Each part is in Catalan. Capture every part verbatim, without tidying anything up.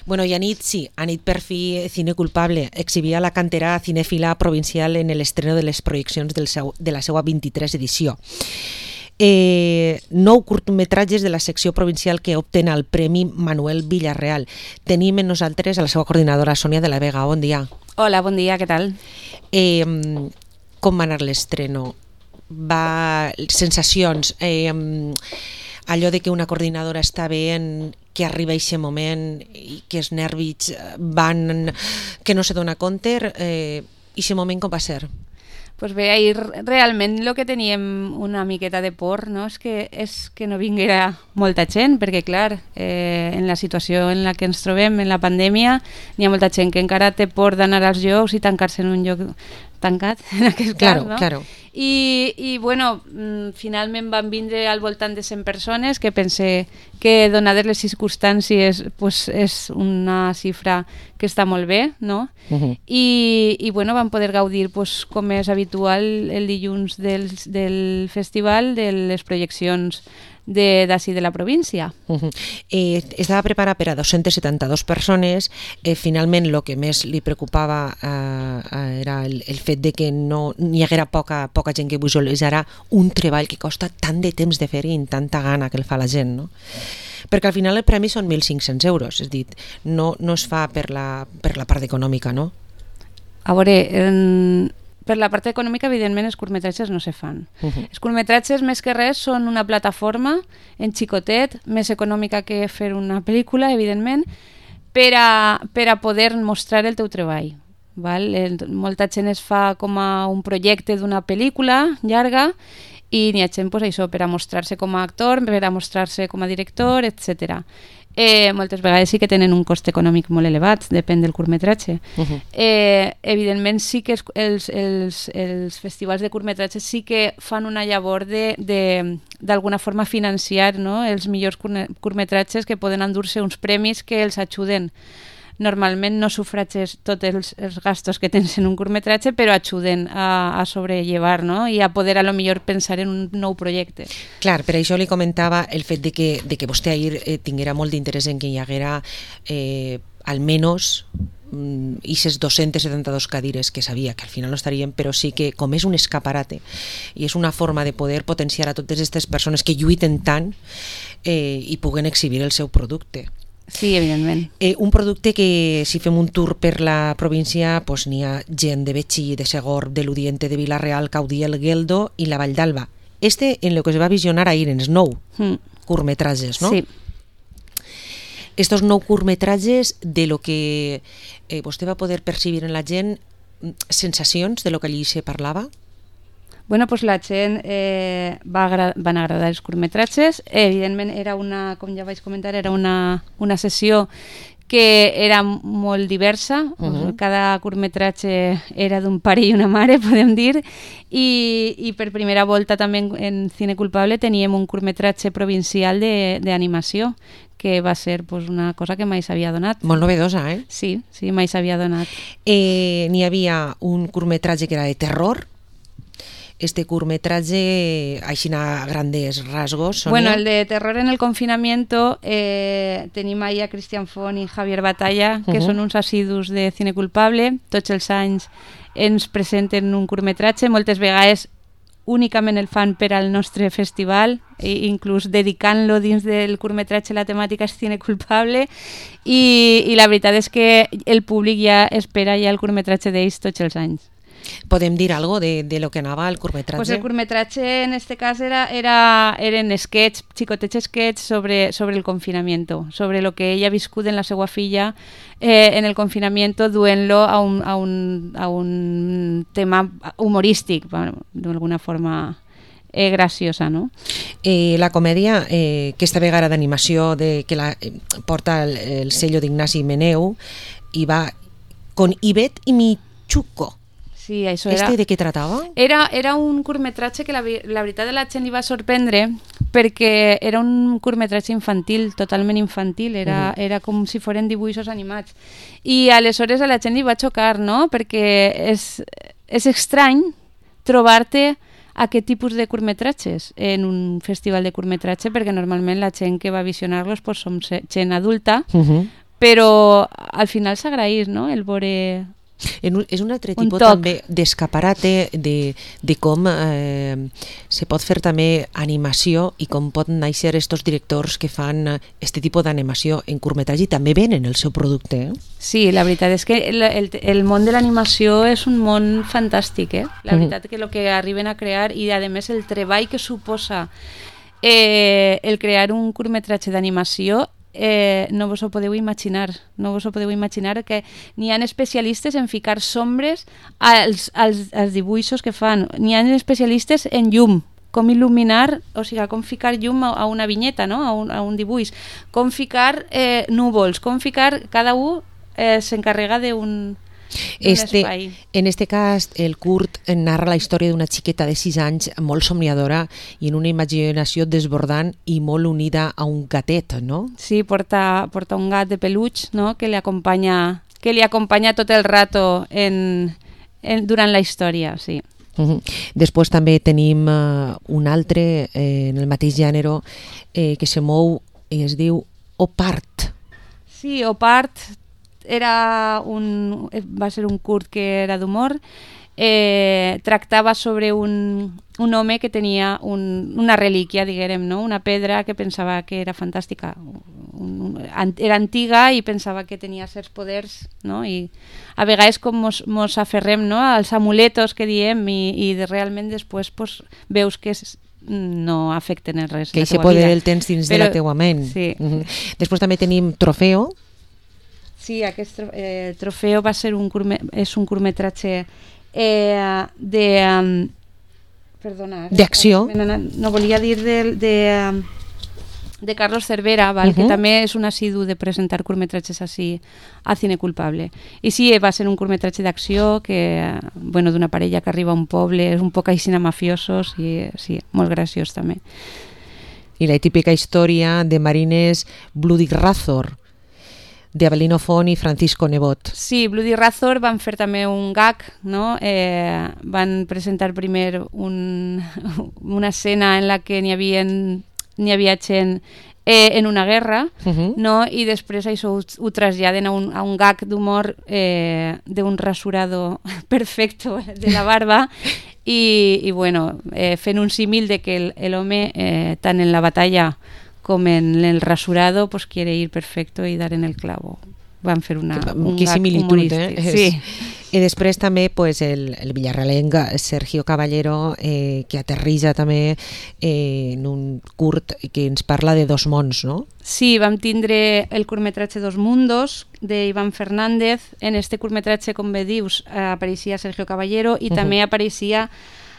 Bueno, y anit, sí, anit per fi Cine Culpable exhibia la cantera cinèfila provincial en l'estreno de les projeccions del seu, de la seva vint-i-tres edició. Eh, nou curtmetratges de la secció provincial que opten al Premi Manuel Villarreal. Tenim en nosaltres a la seva coordinadora Sònia de la Vega. Bon dia. Hola, bon dia, què tal? Eh, com va anar l'estreno? Va... sensacions... Eh, allò de que una coordinadora està bé en que arriba a aquest moment i que els nervis van... que no se dona compte, eh, aquest moment com va ser? Pues bé, ahir realment el que teníem una miqueta de por, no? és, que, és que no vinguera molta gent, perquè clar, eh, en la situació en la que ens trobem, en la pandèmia, n'hi ha molta gent que encara té por d'anar als llocs i tancar-se en un lloc tancat, en aquest claro, cas, no? Claro. I, i bueno, finalment van vindre al voltant de cent persones, que pense que donades les circumstàncies pues, és una xifra que està molt bé, no? Uh-huh. I, i bueno, van poder gaudir, pues, com és habitual, el dilluns del, del festival de les projeccions d'ací de, de la província. Uh-huh. eh, estava preparat per a dos-centes setanta-dues persones. Eh, finalment el que més li preocupava eh, era el, el fet de que no n'hi haguera poca, poca gent que visualitzara un treball que costa tant de temps de fer i amb tanta gana que el fa la gent, no? Perquè al final el premi són mil cinc-cents euros, és a dir, no, no es fa per la, per la part econòmica, no? A veure, en... per la part econòmica, evidentment, els curtmetratges no se fan. Uh-huh. Els curtmetratges, més que res, són una plataforma en xicotet, més econòmica que fer una pel·lícula, evidentment, per a, per a poder mostrar el teu treball. Val? El, molta gent es fa com a un projecte d'una pel·lícula llarga i n'hi ha gent, pues, això, per a mostrar-se com a actor, per a mostrar-se com a director, etcètera. Eh, moltes vegades sí que tenen un cost econòmic molt elevat, depèn del curtmetratge. Uh-huh. eh, evidentment sí que els, els, els, els festivals de curtmetratges sí que fan una llavor de, de, d'alguna forma financiar, no? Els millors curtmetratges, que poden endur-se uns premis que els ajuden. Normalment no sufrages tots els, els gastos que tens en un curtmetratge, però ajuden a, a sobrellevar, no? I a poder a lo millor pensar en un nou projecte. Clar, per això li comentava el fet de que, de que vostè ahir eh, tinguera molt d'interès en que hi haguera eh, almenys aquestes dos-centes setanta-dues cadires que sabia que al final no estarien, però sí que com és un escaparate i és una forma de poder potenciar a totes aquestes persones que lluiten tant eh, i puguen exhibir el seu producte. Sí, evidentment. Eh, un producte que, si fem un tour per la província, pues, n'hi ha gent de Betxí, de Segor, de l'Udiente, de Vila-real, Caudiel, Gueldo i la Vall d'Alba. Este, en lo que es va visionar ahir, en els nou mm. curtmetratges, no? Sí. Estos nou curtmetratges, de lo que eh, vostè va poder percibir en la gent, sensacions de lo que allí se parlava? Bueno, pues la gent eh, va agra- van agradar els curtmetratges. Evidentment, era una, com ja vaig comentar, era una, una sessió que era molt diversa. Uh-huh. Cada curtmetratge era d'un pare i una mare, podem dir, i, i per primera volta també en, en Cine Culpable teníem un curtmetratge provincial d'animació, que va ser, pues, una cosa que mai s'havia donat. Molt novedosa, eh? Sí, sí, mai s'havia donat. Eh, n'hi havia un curtmetratge que era de terror. Este curtmetratge, així a grandes rasgos, Sonia. Bueno, el de Terror en el confinamiento, eh, tenim ahí a Cristian Font i Javier Batalla, que uh-huh. són uns assidus de Cine Culpable. Tots els anys ens presenten un curtmetratge, moltes vegades únicament el fan per al nostre festival, i inclús dedicant-lo dins del curtmetratge la temàtica és Cine Culpable, i, i la veritat és que el públic ja espera ja el curtmetratge d'ells tots els anys. Podem dir algo de, de lo que anava el curtmetratge? Pues el curtmetratge en este cas era, era, eren sketch, xicotets sketch sobre, sobre el confinamiento, sobre lo que ella ha viscut en la seva filla eh, en el confinamiento, duent-lo a un, a, un, a un tema humorístic, bueno, d'alguna forma eh, graciosa, no? Eh, la comèdia, eh, aquesta vegada d'animació de, que la, eh, porta el, el sello d'Ignasi Meneu i va con Ivette i Michuco. Sí, això era... Este de què tratava? Era, era un curtmetratge que la, la veritat de la gent li va sorprendre perquè era un curtmetratge infantil, totalment infantil, era, uh-huh. era com si foren dibuixos animats. I aleshores a la gent li va xocar, no? Perquè és, és estrany trobar-te aquest tipus de curtmetratges en un festival de curtmetratge, perquè normalment la gent que va visionar-los pues, som gent adulta, uh-huh. però al final s'agraeix, no?, el veure... Un, és un altre un tipus toc. també d'escaparate de, de com eh, se pot fer també animació i com poden néixer estos directors que fan este tipus d'animació en curtmetratge i també venen el seu producte. Eh? Sí, la veritat és que el, el, el món de l'animació és un món fantàstic, eh? La veritat que el que arriben a crear i a més el treball que suposa eh, el crear un curtmetratge d'animació Eh, no vos ho podeu imaginar, no vos ho podeu imaginar que n'hi ha especialistes en ficar sombres als, als, als dibuixos que fan, n'hi ha especialistes en llum, com il·luminar, o sigui, com ficar llum a, a una vinyeta, no? a, un, a un dibuix, com ficar eh, núvols, com ficar, cada un eh, s'encarrega d'un Este, espai. en este cas, el curt narra la història d'una xiqueta de sis anys molt somniadora i en una imaginació desbordant i molt unida a un gatet, no? Sí, porta, porta un gat de peluig, no?, que li acompanya, que li acompanya tot el rato en, en, durant la història, sí. Uh-huh. Després també tenim uh, un altre eh, en el mateix gènere eh, que se mou i es diu Opart. Sí, Opart era un, va ser un curt que era d'humor, eh, tractava sobre un, un home que tenia un, una relíquia, diguem, no? Una pedra que pensava que era fantàstica, un, un, era antiga i pensava que tenia certs poders, no? I a vegades com mos, mos aferrem, no?, als amuletos que diem i, i de realment després pues, veus que és, no afecten en res que la aquest teua poder vida. el tens dins Però, de la teua ment. Sí. Uh-huh. Després també tenim Trofeo. Sí, aquest eh, Trofeo va ser un curme, és un curtmetratge eh, de... Um, perdona. D'acció. No, no volia dir de, de, de Carlos Cervera, val, uh-huh. que també és un assidu de presentar curtmetratges així a Cine Culpable. I sí, va ser un curtmetratge d'acció que, bueno, d'una parella que arriba a un poble, és un poc així mafiosos i sí, molt graciós també. I la típica història de Marines Bloody Razor, de Abelino Font i Francisco Nebot. Sí, Bloody Razor van fer també un gag, no? Eh, van presentar primer un, una escena en la que n'hi havia, n'hi havia gent eh, en una guerra, uh-huh. no? I després això ho, ho traslladen a un, a un gag d'humor eh, d'un rasurado perfecto de la barba i, i bueno, eh, fent un símil de que l'home, eh, tant en la batalla com en el rasurado, pues quiere ir perfecto y dar en el clavo. Van fer una, un que gag humorístic. Eh? Sí. I després també pues, el, el villarrealenc Sergio Caballero, eh, que aterrissa també eh, en un curt que ens parla de Dos mons, no? Sí, vam tindre el curtmetratge Dos mundos, d'Ivan Fernández. En este curtmetratge, com bé dius, eh, apareixia Sergio Caballero i uh-huh. també apareixia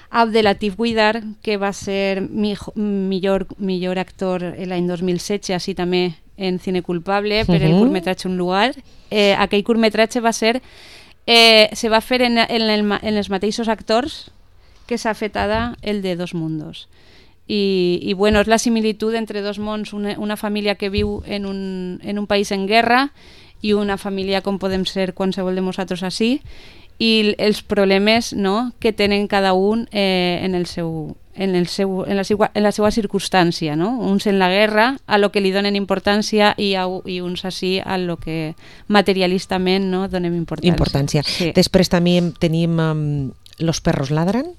Abdelatif Guidar, que va ser mi, millor, millor actor l'any dos mil setze, així també en Cine Culpable, per uh-huh. el curtmetratge Un lugar. Eh, aquell curtmetratge va ser, eh, se va fer en, en, el, en els mateixos actors que s'ha fet ara el de Dos mundos. I, i bueno, és la similitud entre dos mons, una, una família que viu en un, en un país en guerra i una família com podem ser qualsevol de nosaltres així, i els problemes, no?, que tenen cada un eh, en, el seu, en, el seu, en, la seva, en la seva circumstància, no? Uns en la guerra, a lo que li donen importància, i, a, i uns així a lo que materialistament, no?, donem importància. importància. Sí. Després també tenim um, Los perros ladran.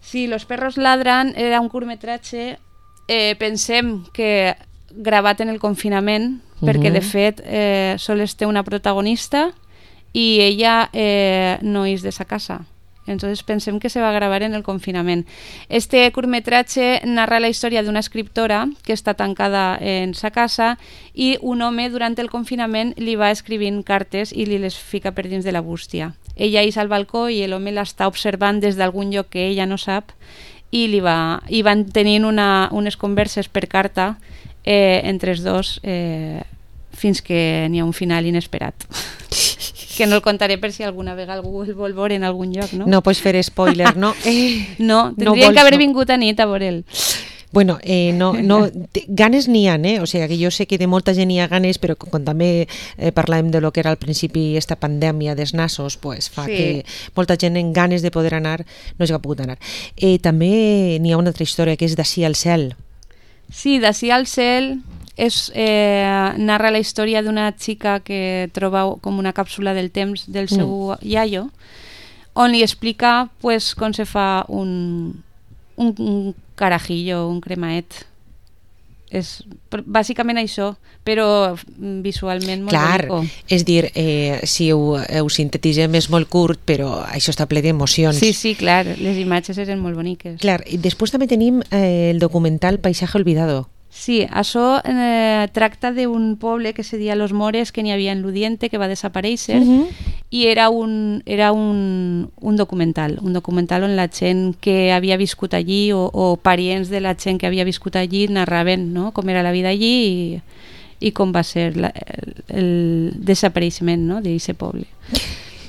Sí, Los perros ladran era un curtmetratge, eh, pensem que gravat en el confinament, uh-huh. perquè de fet eh, sols té una protagonista i ella eh, no és de sa casa. Entonces pensem que se va gravar en el confinament. Este curtmetratge narra la història d'una escriptora que està tancada en sa casa i un home durant el confinament li va escrivint cartes i li les fica per dins de la bústia. Ella és al balcó i l'home l'està observant des d'algun lloc que ella no sap i, li va, i van tenint una, unes converses per carta eh, entre els dos eh, fins que n'hi ha un final inesperat. Que no el contaré per si alguna vegada algú el vol veure en algun lloc, no? No pots fer spoiler, no? Eh, no, tindrien no que haver no. vingut a nit a veure'l. Bueno, eh, no, no, ganes n'hi ha, eh? O sigui, que jo sé que de molta gent hi ha ganes, però quan també eh, parlàvem de lo que era al principi esta pandèmia dels nassos, pues, fa sí. que molta gent en ganes de poder anar no s'ha pogut anar. Eh, també n'hi ha una altra història que és d'Ací al cel. Sí, d'Ací al cel és, eh, narra la història d'una xica que troba com una càpsula del temps del seu mm. iaio, on li explica pues, com se fa un, un, un carajillo, un cremaet. És bàsicament això, però visualment molt Clar, bonico. És dir, eh, si ho, ho sintetitzem és molt curt, però això està ple d'emocions. Sí, sí, clar, les imatges eren molt boniques. Clar, i després també tenim eh, el documental Paisaje Olvidado. Sí, això eh, tracta d'un poble que se deia Los Mores, que n'hi havia en l'Udiente, que va desaparèixer, uh -huh. i era, un, era un, un documental, un documental on la gent que havia viscut allí o, o parients de la gent que havia viscut allí narraven, no?, com era la vida allí i, i com va ser la, el, el desapareixement, no?, d'aquest poble.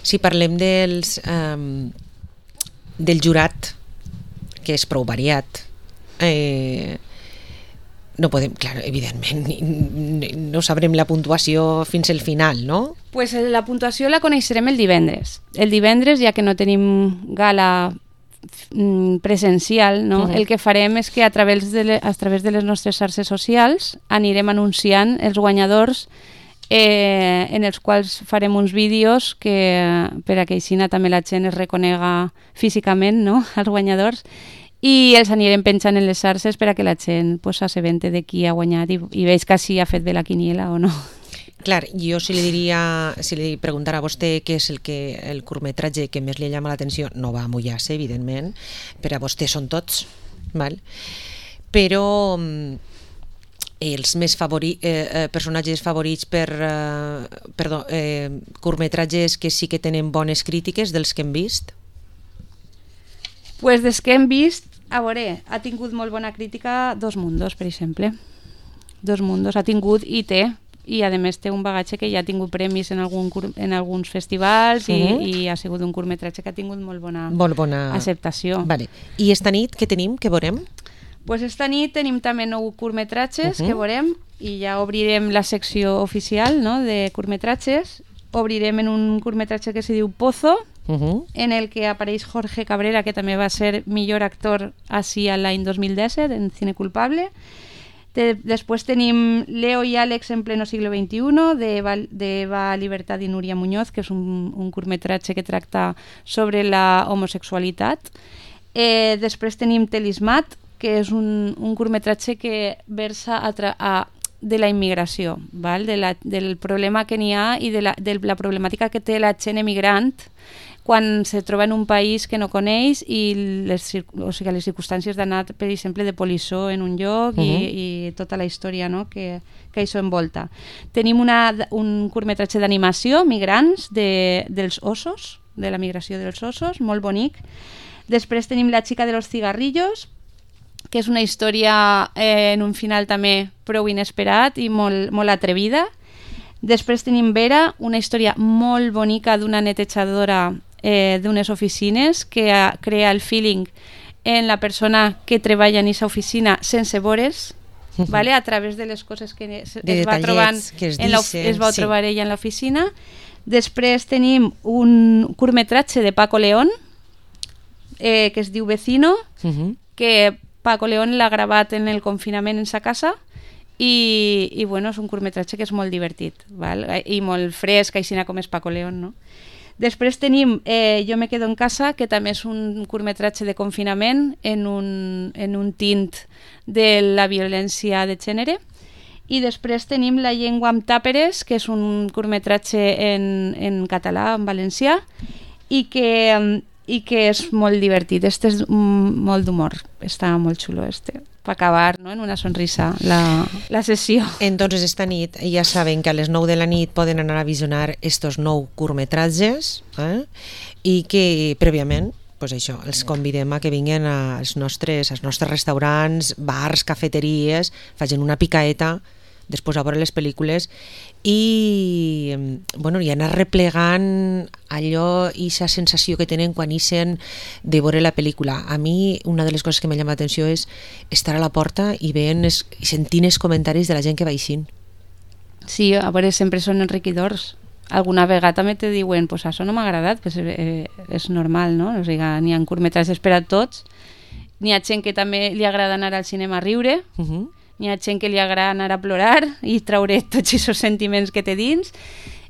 Si parlem dels, um, del jurat, que és prou variat, eh, no podem, clar, evidentment, no sabrem la puntuació fins al final, no? Pues la puntuació la coneixerem el divendres. El divendres, ja que no tenim gala presencial, no? Uh-huh. El que farem és que a través, de le, a través de les nostres xarxes socials anirem anunciant els guanyadors, eh, en els quals farem uns vídeos que per a que així també la gent es reconega físicament, no?, els guanyadors, i els anirem penjant en les xarxes per a que la gent pues, s'assabente de qui ha guanyat i, i veig que si ha fet bé la quiniela o no. Clar, jo si li diria, si li preguntara a vostè què és el, que, el curtmetratge que més li llama l'atenció, no va a mullar-se, evidentment, per a vostè són tots, val? Però els més favori, eh, personatges favorits per eh, perdó, eh, curtmetratges que sí que tenen bones crítiques dels que hem vist? Pues des que hem vist, a veure, ha tingut molt bona crítica Dos Mundos, per exemple. Dos Mundos ha tingut i té, i a més té un bagatge que ja ha tingut premis en, algun, en alguns festivals i, uh-huh. i ha sigut un curtmetratge que ha tingut molt bona, molt bona... acceptació. Vale. I esta nit què tenim, què veurem? Pues esta nit tenim també nou curtmetratges uh-huh. que veurem i ja obrirem la secció oficial, no?, de curtmetratges. Obrirem en un curtmetratge que se diu Pozo, Uh-huh. en el que apareix Jorge Cabrera, que també va ser millor actor així l'any dos mil disset en Cine Culpable. De, després tenim Leo i Àlex en pleno siglo veintiuno de Eva, de Eva Libertad i Núria Muñoz, que és un, un curtmetratge que tracta sobre la homosexualitat. Eh, després tenim Telismat, que és un, un curtmetratge que versa a, tra- a de la immigració, val? De la, del problema que n'hi ha i de la, de la problemàtica que té la gent emigrant quan se troba en un país que no coneix i les, o sigui, les circumstàncies d'anar, per exemple, de polissó en un lloc uh-huh. i, i tota la història, no?, que, que això envolta. Tenim una, un curtmetratge d'animació, Migrants, de, dels ossos, de la migració dels ossos, molt bonic. Després tenim La chica de los cigarrillos, que és una història eh, en un final també prou inesperat i molt, molt atrevida. Després tenim Vera, una història molt bonica d'una netejadora eh, d'unes oficines que uh, crea el feeling en la persona que treballa en aquesta oficina sense veure's, uh-huh. ¿vale? A través de les coses que es, de es va trobant que es, en dicen, es va sí. trobar ella en l'oficina. Després tenim un curtmetratge de Paco León eh, que es diu Vecino, uh-huh. que Paco León l'ha gravat en el confinament en sa casa i, i bueno, és un curtmetratge que és molt divertit, val? I molt fresc, així com és Paco León, no? Després tenim eh, Jo me quedo en casa, que també és un curtmetratge de confinament en un, en un tint de la violència de gènere. I després tenim La llengua amb tàperes, que és un curtmetratge en, en català, en valencià, i que... i que és molt divertit. Este és molt d'humor. Està molt xulo este. Per acabar, no?, en una sonrisa la, la sessió. Entonces esta nit ja saben que a les nou de la nit poden anar a visionar estos nou curtmetratges eh? I que prèviament pues això, els convidem a que vinguin als nostres, als nostres restaurants, bars, cafeteries, facin una picaeta després a veure les pel·lícules i, bueno, i anar replegant allò i aquesta sensació que tenen quan ixen de veure la pel·lícula. A mi una de les coses que m'ha llamat l'atenció és estar a la porta i veient es, sentint els comentaris de la gent que va eixint. Sí, a veure, sempre són enriquidors. Alguna vegada també te diuen pues això no m'ha agradat, pues, eh, és normal, no? O sigui, n'hi ha curtmetratges per a tots, n'hi ha gent que també li agrada anar al cinema a riure, uh-huh. Hi ha gent que li agrada anar a plorar i traure tots aquests sentiments que té dins.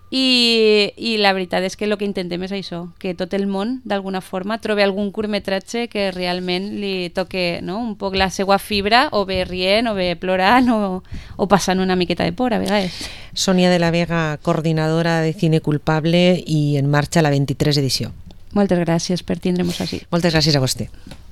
I, i la veritat és que el que intentem és això, que tot el món d'alguna forma trobi algun curtmetratge que realment li toque, no?, un poc la seva fibra, o bé rient, o bé plorant, o, o passant una miqueta de por a vegades. Sonia de la Vega, coordinadora de Cine Culpable i en marxa la vint-i-tres edició. Moltes gràcies per tindre-nos així. Moltes gràcies a vostè.